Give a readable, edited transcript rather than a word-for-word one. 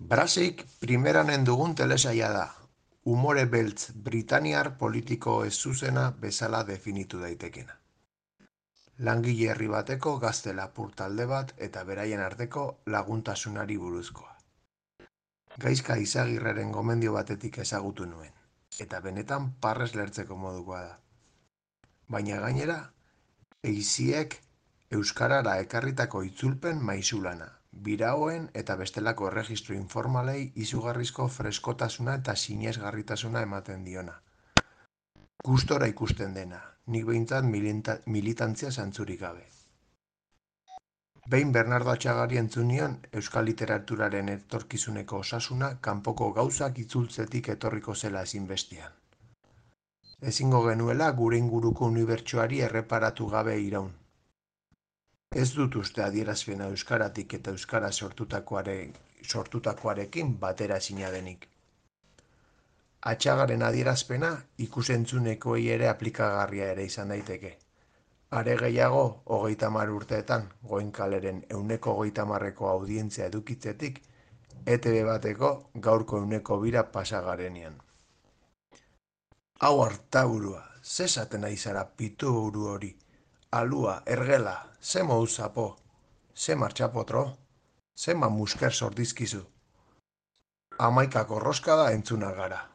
Brasik primeranen dugun telesaila da. Umore beltz britainiar politiko ez-zuzena bezala definitu daitekena. Langile herri bateko gazte lapur talde bat eta beraien arteko laguntasunari buruzkoa. Gaizka Izagirreren gomendio batetik ezagutu nuen, eta benetan parrez lertzeko modukoa da. Baina gainera, eiziek euskarara ekarritako itzulpen maizulana, biraoen eta bestelako erregistro informalei izugarrizko freskotasuna eta sinesgarritasuna ematen diona. Gustora ikusten dena, nik behintzat militantzia zantzurik gabe. Behin Bernardo Atxagari entzun nion euskal literaturaren etorkizuneko osasuna kanpoko gauzak itzultzetik etorriko zela ezinbestean. Ezingo genuela gure inguruko unibertsoari erreparatu gabe iraun. Ez dut uste adierazpena euskaratik eta euskara sortutakoarekin batera ezina denik. Atxagaren adierazpena ikus-entzunekoei ere aplikagarria ere izan daiteke. Are gehiago, 30 urteetan, Goenkaleren 130eko audientzia edukitzetik, ETB bateko gaurko 102 pasa garenean. Hau hartaburua, ze esaten ari zara pituburu hori? Alua, ergela, ze moduz zapo, ze martxapotro, ze musker sordizkizu. 11 korroskada entzuna gara.